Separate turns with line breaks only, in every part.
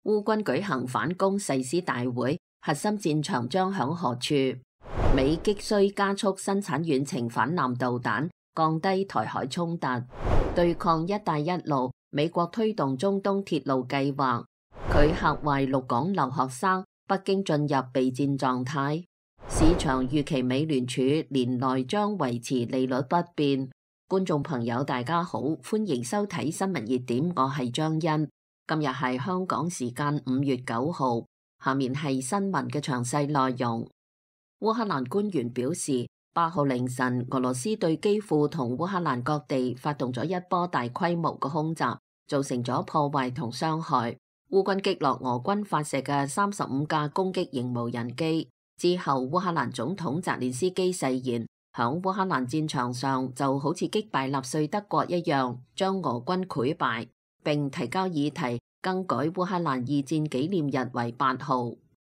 烏軍舉行反攻誓師大會，核心戰場將響何處？美急需加速生產遠程反艦導彈，降低台海衝突，對抗一帶一路。美國推動中東鐵路計劃，拒嚇壞陸港留學生，北京進入備戰狀態。市場預期美聯儲年內將維持利率不變。觀眾朋友大家好，歡迎收睇新聞熱點，我係張欣。今日係香港時間5月9號，下面係新聞嘅詳細內容。烏克蘭官員表示，8號凌晨俄羅斯對基輔同烏克蘭各地發動咗一波大規模嘅空襲，造成咗破壞同傷害。烏軍擊落俄軍發射嘅35架攻擊型無人機之後，烏克蘭總統澤連斯基誓言，響烏克蘭戰場上就好似擊敗納粹德國一樣，將俄軍潰敗，並提交議題更改烏克蘭二戰紀念日為8號。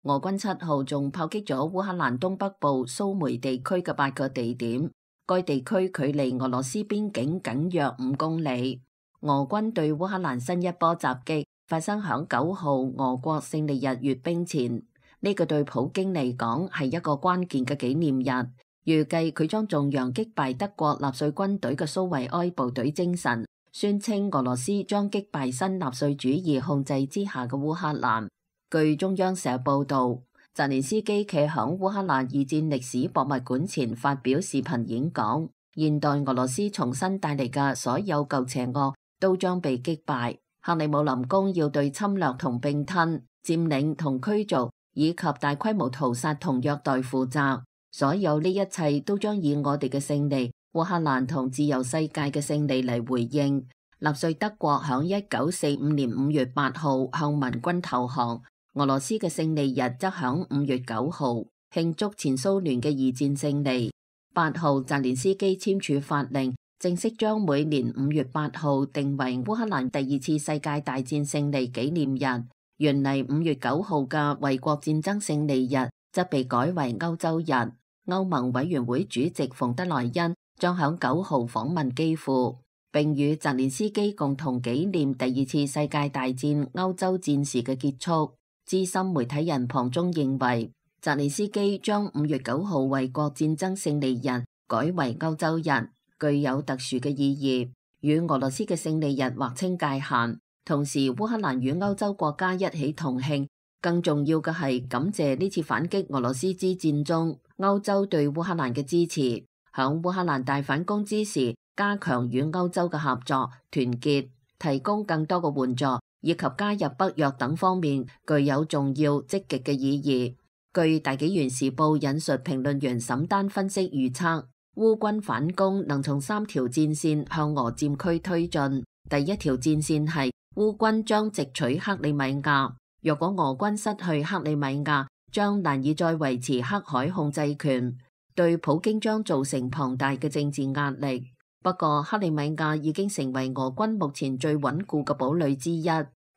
俄軍7號仲炮擊咗烏克蘭東北部蘇梅地區嘅8個地點，該地區距離俄羅斯邊境僅約5公里。俄軍對烏克蘭新一波襲擊發生響9號俄國勝利日閱兵前，呢個對普京嚟講係一個關鍵嘅紀念日。預計佢將頌揚擊敗德國納粹軍隊嘅蘇維埃部隊精神，宣稱俄羅斯將擊敗新納粹主義控制之下嘅烏克蘭。據中央社報道，澤連斯基企響烏克蘭二戰歷史博物館前發表視頻演講，現代俄羅斯重新帶嚟嘅所有舊邪惡都將被擊敗。克里姆林宮要對侵略同併吞、佔領同驅逐以及大規模屠殺同虐待負責。所有呢一切都將以我哋嘅勝利、烏克蘭同自由世界嘅勝利嚟回應。納粹德國響1945年5月8號向民軍投降，俄羅斯嘅勝利日則響5月9號慶祝前蘇聯嘅二戰勝利。8號澤連斯基簽署法令，正式將每年5月8號定為烏克蘭第2次世界大戰勝利紀念日。原嚟5月9號嘅衛國戰爭勝利日則被改為歐洲日。歐盟委員會主席馮德萊恩將響9號訪問基輔，並與澤連斯基共同紀念第2次世界大戰歐洲戰事嘅結束。資深媒體人龐中認為，澤連斯基將5月9號衛國戰爭勝利日改為歐洲日，具有特殊嘅意義，與俄羅斯嘅勝利日劃清界限。同時，烏克蘭與歐洲國家一起同慶。更重要嘅係感謝呢次反擊俄羅斯之戰中歐洲對烏克蘭嘅支持，響烏克蘭大反攻之時，加強與歐洲嘅合作團結，提供更多嘅援助，以及加入北約等方面具有重要積極嘅意義。據大紀元時報引述評論員沈丹分析預測，烏軍反攻能從3條戰線向俄佔區推進。第一條戰線係烏軍將直取克里米亞。若果俄軍失去克里米亞，將難以再維持黑海控制權，對普京將造成龐大嘅政治壓力。不過，克里米亞已經成為俄軍目前最穩固嘅堡壘之一。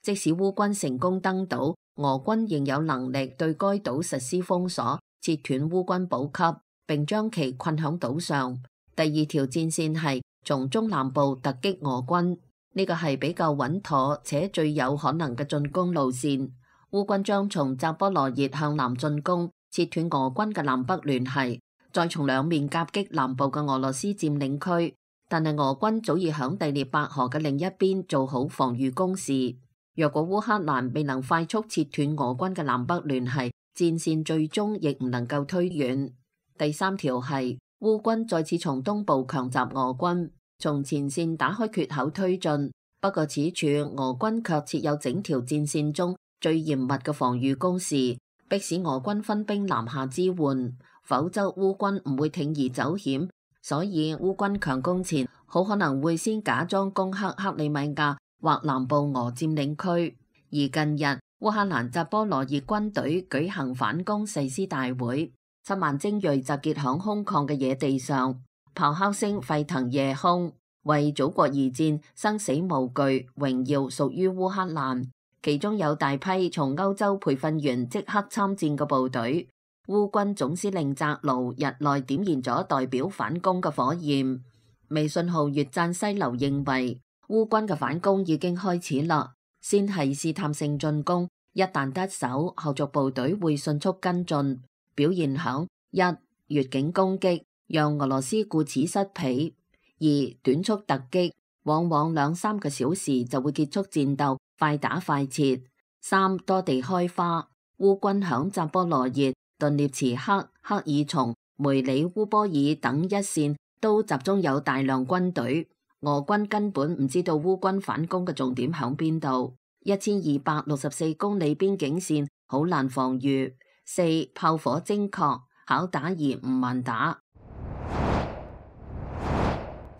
即使烏軍成功登島，俄軍仍有能力對該島實施封鎖，切斷烏軍補給，並將其困響島上。第二條戰線係從中南部突擊俄軍。呢個係比較穩妥且最有可能嘅進攻路線。烏軍將從扎波羅熱向南進攻，切斷俄軍嘅南北聯繫，再從兩面夾擊南部嘅俄羅斯佔領區。但係俄軍早已響第聶伯河嘅另一邊做好防禦工事。若果烏克蘭未能快速切斷俄軍嘅南北聯繫，戰線最終亦唔能夠推遠。第三條係烏軍再次從東部強襲俄軍，從前線打開缺口推進，不過此處俄軍卻設有整條戰線中最嚴密嘅防禦工事，迫使俄軍分兵南下支援，否則烏軍唔會鋌而走險。所以烏軍強攻前，好可能會先假裝攻克克里米亞或南部俄佔領區。而近日烏克蘭扎波羅熱軍隊舉行反攻誓師大會，7萬精銳集結響空曠嘅野地上。咆哮聲沸騰夜空，為祖國而戰，生死無懼，榮耀屬於烏克蘭。其中有大批從歐洲培訓完即刻參戰嘅部隊。烏軍總司令扎盧日內點燃咗代表反攻嘅火焰。微信號越讚西流認為，烏軍嘅反攻已經開始啦，先係試探性進攻，一旦得手，後續部隊會迅速跟進，表現響一越境攻擊，讓俄羅斯顧此失彼；二短速突擊，往往2-3個小時就會結束戰鬥，快打快撤；三多地開花，烏軍響扎波羅熱、頓涅茨克、克爾松、梅里烏波爾等一線都集中有大量軍隊，俄軍根本唔知道烏軍反攻嘅重點響邊度。1264公里邊境線好難防禦。四炮火精確，巧打而唔慢打。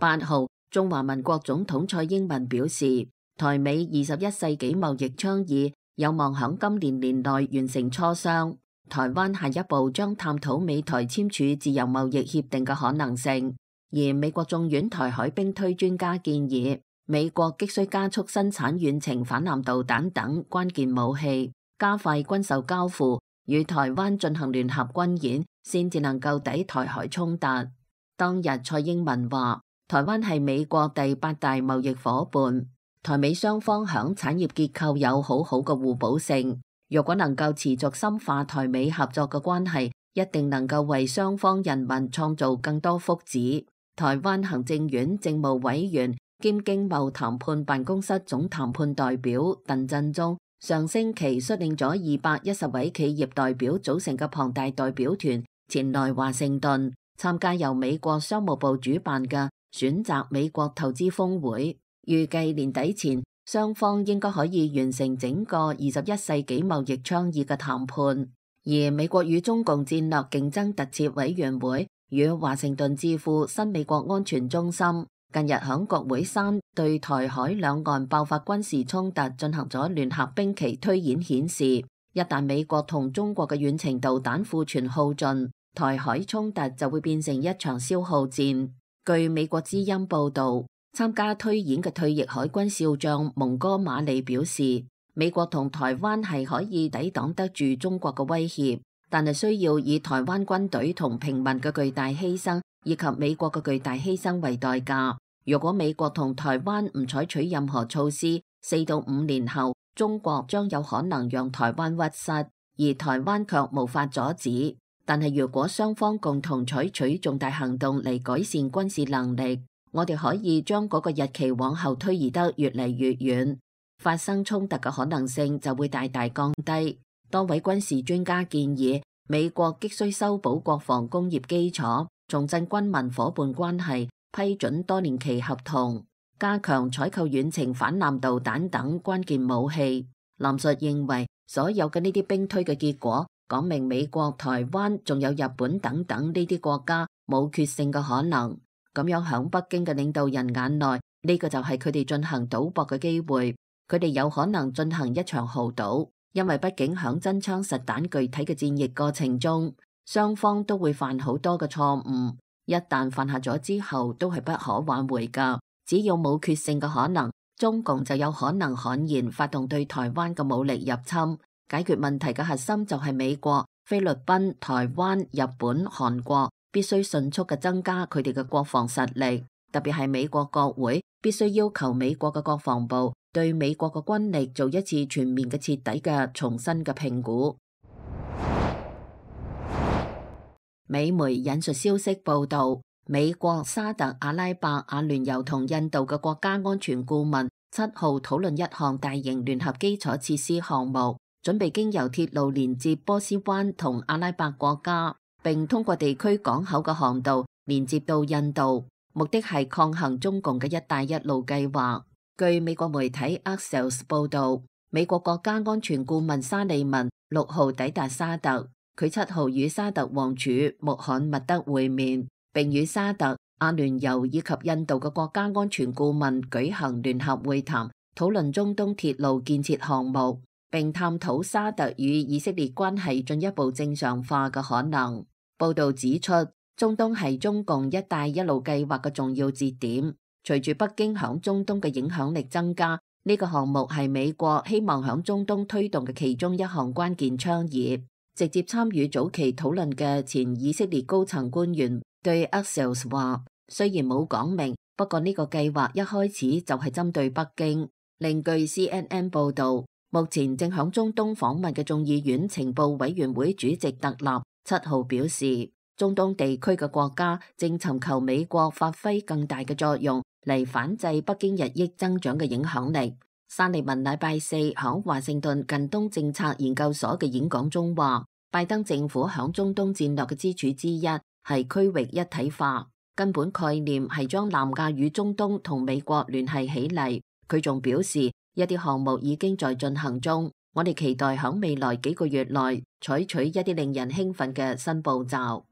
8號，中華民國總統蔡英文表示，台美21世紀貿易倡議有望響今年年內完成磋商。台灣下一步將探討美台簽署自由貿易協定嘅可能性。而美國眾院台海兵推專家建議，美國急需加速生產遠程反艦導彈等關鍵武器，加快軍售交付，與台灣進行聯合軍演，先至能夠抵台海衝突。當日蔡英文話，台灣係美國第8大貿易夥伴，台美雙方響產業結構有好好嘅互補性。若果能夠持續深化台美合作嘅關係，一定能夠為雙方人民創造更多福祉。台灣行政院政務委員兼經貿談判辦公室總談判代表鄧振中上星期率領咗210位企業代表組成嘅龐大代表團前來華盛頓參加由美國商務部主辦嘅選擇美國投資峰會，預計年底前雙方應該可以完成整個21世紀貿易倡議嘅談判。而美國與中共戰略競爭特設委員會與華盛頓智庫新美國安全中心近日響國會山對台海兩岸爆發軍事衝突進行咗聯合兵棋推演，顯示一旦美國同中國嘅遠程導彈庫存耗盡，台海衝突就會變成一場消耗戰。據美國之音報道，參加推演嘅退役海軍少將蒙哥馬利表示，美國同台灣係可以抵擋得住中國嘅威脅，但係需要以台灣軍隊同平民嘅巨大犧牲以及美國嘅巨大犧牲為代價。如果美國同台灣唔採取任何措施，4到5年後，中國將有可能讓台灣屈膝，而台灣卻無法阻止。但係如果雙方共同採取重大行動嚟改善軍事能力，我哋可以將嗰個日期往後推移得越嚟越遠，發生衝突嘅可能性就會大大降低。多位軍事專家建議，美國急需修補國防工業基礎，重振軍民夥伴關係，批准多年期合同，加強採購遠程反艦導彈等關鍵武器。林述認為，所有嘅呢啲兵推嘅結果，講明美國、台灣仲有日本等等呢啲國家冇決勝嘅可能。咁樣響北京嘅領導人眼內，呢個就係佢哋進行賭博嘅機會。佢哋有可能進行一場豪賭，因為畢竟響真槍實彈具體嘅戰役過程中，雙方都會犯好多嘅錯誤。一旦犯下咗之後，都係不可挽回噶。只要冇決勝嘅可能，中共就有可能悍然發動對台灣嘅武力入侵。解決問題嘅核心就係美國、菲律賓、台灣、日本、韓國必須迅速嘅增加佢哋嘅國防實力，特別係美國國會必須要求美國嘅國防部對美國嘅軍力做一次全面嘅徹底嘅重新嘅評估。美媒引述消息報道，美國、沙特阿拉伯、阿聯酋同印度嘅國家安全顧問7號討論一項大型聯合基礎設施項目，準備經由鐵路連接波斯灣同阿拉伯國家，並通過地區港口嘅航道連接到印度，目的係抗衡中共嘅一帶一路計劃。據美國媒體 Axios 報道，美國國家安全顧問沙利文6號抵達沙特，佢7號與沙特王儲穆罕默德會面，並與沙特、阿聯酋以及印度嘅國家安全顧問舉行聯合會談，討論中東鐵路建設項目，並探討沙特與以色列關係進一步正常化嘅可能。報道指出，中東係中共一帶一路計劃嘅重要節點。隨住北京響中東嘅影響力增加，呢個項目係美國希望響中東推動嘅其中一項關鍵倡議。直接參與早期討論嘅前以色列高層官員對 Axios 話，雖然冇講明，不過呢個計劃一開始就係針對北京。另據 CNN 報道，目前正響中東訪問嘅眾議院情報委員會主席特納7號表示，中東地區嘅國家正尋求美國發揮更大嘅作用嚟反制北京日益增長嘅影響力。沙利文禮拜四響華盛頓近東政策研究所嘅演講中話，拜登政府響中東戰略嘅支柱之一係區域一體化，根本概念係將南亞與中東同美國聯繫起嚟。佢仲表示，一啲項目已經在進行中，我哋期待響未來幾個月內採取一啲令人興奮嘅新步驟。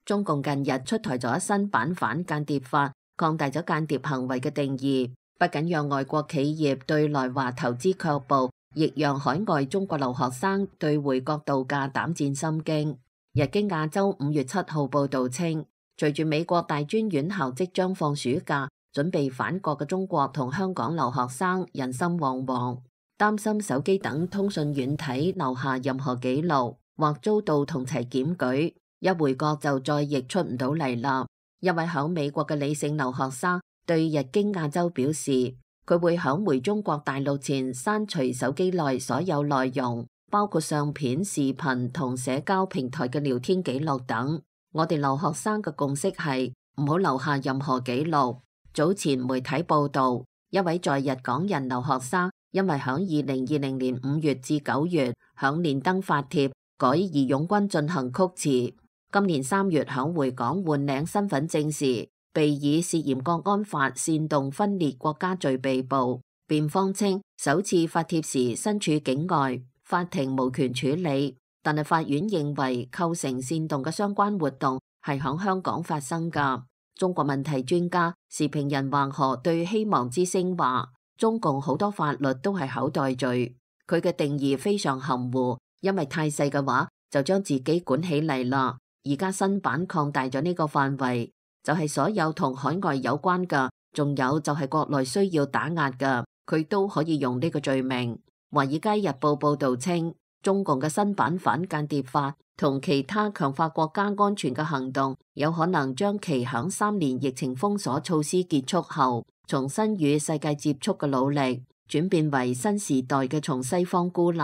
中共近日出台咗新版反間諜法，擴大咗間諜行為嘅定義，不僅讓外國企業對來華投資卻步，亦讓海外中國留學生對回國度假膽戰心驚。日經亞洲5月7號報道稱，隨住美國大專院校即將放暑假，準備返國嘅中國同香港留學生人心惶惶，擔心手機等通訊軟體留下任何記錄，或遭到同齊檢舉，一回國就再亦出唔到嚟啦。一位響美國嘅李姓留學生對日經亞洲表示，佢會響回中國大陸前刪除手機內所有內容，包括相片、視頻同社交平台嘅聊天記錄等。我哋留學生嘅共識係唔好留下任何記錄。早前媒體報道，一位在日港人留學生因為響2020年5月至9月響連登發帖改義勇軍進行曲詞，今年3月響回港換領身份證時，被以涉嫌國安法煽動分裂國家罪被捕。辯方稱，首次發帖時身處境外，法庭無權處理，但係法院認為構成煽動嘅相關活動係響香港發生㗎。中國問題專家時評人黃河對希望之聲話，中共好多法律都係口袋罪，佢嘅定義非常含糊，因為太細嘅話就將自己管起嚟啦。而家新版擴大咗呢個範圍，就係所有同海外有關嘅，仲有就係國內需要打壓嘅，佢都可以用呢個罪名。華爾街日報報道稱，中共嘅新版反間諜法同其他強化國家安全嘅行動，有可能將其響3年疫情封鎖措施結束後，重新與世界接觸嘅努力，轉變為新時代嘅從西方孤立。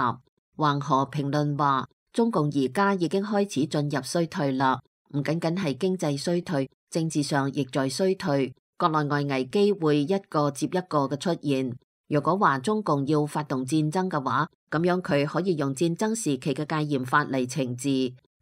橫河評論話，中共而家已經開始進入衰退啦，唔僅僅係經濟衰退，政治上亦在衰退，國內外危機會一個接一個嘅出現。如果話中共要發動戰爭嘅話，咁樣佢可以用戰爭時期嘅戒嚴法嚟懲治。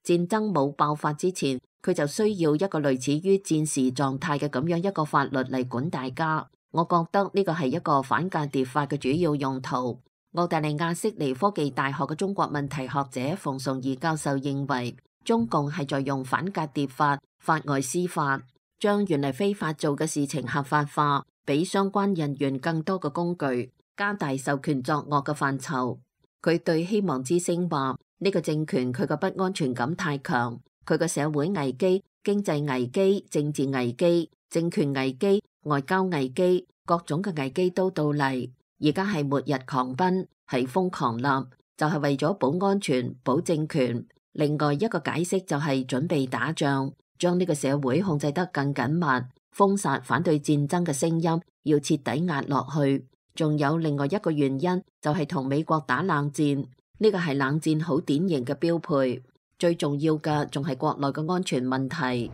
戰爭冇爆發之前，佢就需要一個類似於戰時狀態嘅咁樣一個法律嚟管大家。我覺得呢個係一個反間諜法嘅主要用途。澳大利亞悉尼科技大學嘅中國問題學者馮崇義教授認為，中共係在用反間諜法、法外司法，將原嚟非法做嘅事情合法化，俾相關人員更多嘅工具，加大授權作惡嘅範疇。佢對希望之聲話，呢個政權佢嘅不安全感太強，佢嘅社會危機、經濟危機、政治危機、政權危機、外交危機，各種嘅危機都到嚟。而家係末日狂奔，係瘋狂啦，就係為咗保安全、保政權。另外一個解釋就係準備打仗，將呢個社會控制得更緊密，封殺反對戰爭嘅聲音，要徹底壓落去。仲有另外一個原因，就係同美國打冷戰，呢個係冷戰好典型嘅標配。最重要嘅仲係國內嘅安全問題。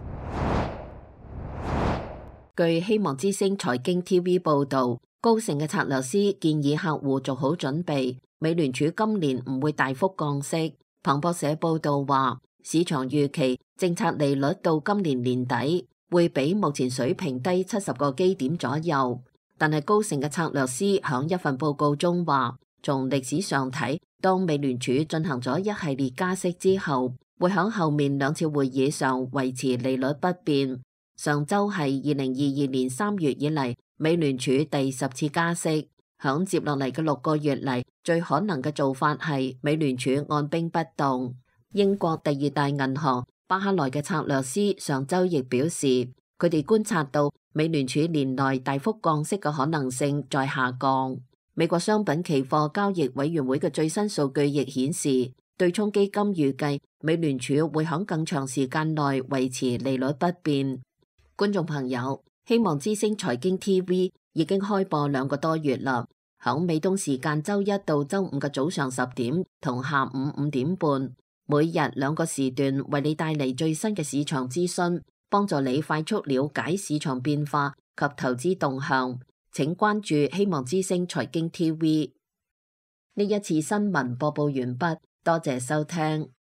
據希望之聲財經 TV 報道，高盛嘅策略師建議客戶做好準備，美聯儲今年唔會大幅降息。彭博社報道話，市場預期政策利率到今年年底會比目前水平低70個基點左右。但係高盛嘅策略師響一份報告中話，從歷史上睇，當美聯儲進行咗一系列加息之後，會響後面2次會議上維持利率不變。上周係2022年3月以嚟美聯儲第10次加息，響接落嚟嘅6個月嚟，最可能嘅做法係美聯儲按兵不動。英國第2大銀行巴克萊嘅策略師上周亦表示，佢哋觀察到美聯儲年內大幅降息嘅可能性在下降。美國商品期貨交易委員會嘅最新數據亦顯示，對沖基金預計美聯儲會響更長時間內維持利率不變。觀眾朋友，希望之聲財經 TV 已經開播2個多月啦。響美東時間周一到周五嘅早上10點同下午5點半，每日2個時段為你帶嚟最新嘅市場資訊，幫助你快速了解市場變化及投資動向。請關注希望之聲財經 TV。呢一次新聞播報完畢，多謝收聽。